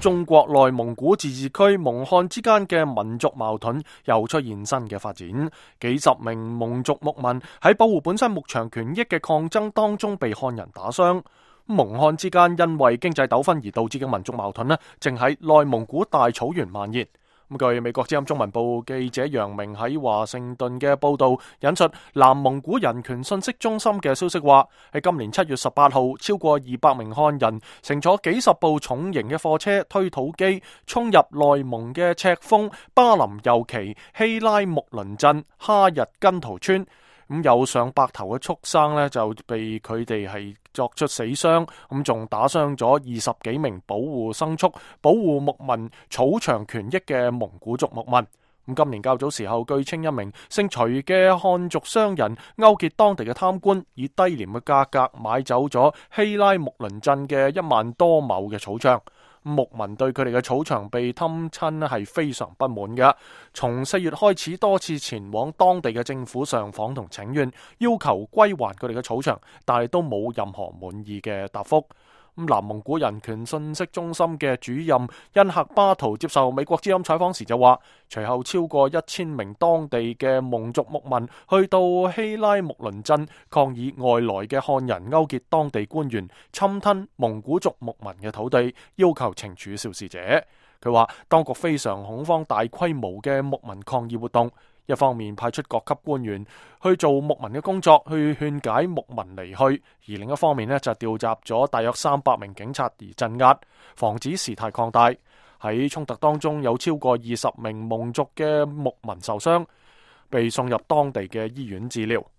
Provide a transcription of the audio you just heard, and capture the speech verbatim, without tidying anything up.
中國內蒙古自治區蒙漢之間嘅民族矛盾又出現新嘅發展，幾十名蒙族牧民喺保護本身牧場權益嘅抗爭當中被漢人打傷。蒙漢之間因為經濟糾紛而導致嘅民族矛盾呢，正喺內蒙古大草原蔓延。咁據美國之音中文部記者楊明喺華盛頓嘅報道，引述南蒙古人權信息中心嘅消息話，喺今年七月十八號，超過二百名漢人乘坐幾十部重型嘅貨車、推土機，衝入內蒙嘅赤峰、巴林右旗、希拉木倫鎮、哈日根圖村。咁有上百頭嘅畜生呢，就被佢哋係作出死傷，咁仲打傷咗二十幾名保護牲畜、保護牧民草場權益嘅蒙古族牧民。咁今年較早時候，據稱一名姓徐嘅漢族商人勾結當地嘅貪官，以低廉嘅價格買走咗希拉木倫鎮嘅一萬多畝嘅草場。牧民對佢哋嘅草場被侵侵係非常不滿嘅，從四月開始多次前往當地嘅政府上訪同請願，要求歸還佢哋嘅草場，但係都冇任何滿意嘅答覆。南蒙古人權信息中心嘅主任恩赫巴圖接受美國之音採訪時就話，隨後超過一千名當地嘅蒙族牧民去到希拉木倫鎮抗議外來嘅漢人勾結當地官員侵吞蒙古族牧民嘅土地，要求懲處肇事者。佢話當局非常恐慌大規模嘅牧民抗議活動，一方面派出各級官員去做牧民嘅工作，去勸解牧民離去，而另一方面呢，就調集咗大約三百名警察而鎮壓，防止事態擴大。喺衝突當中，有超過二十名蒙族嘅牧民受傷，被送入當地嘅醫院治療。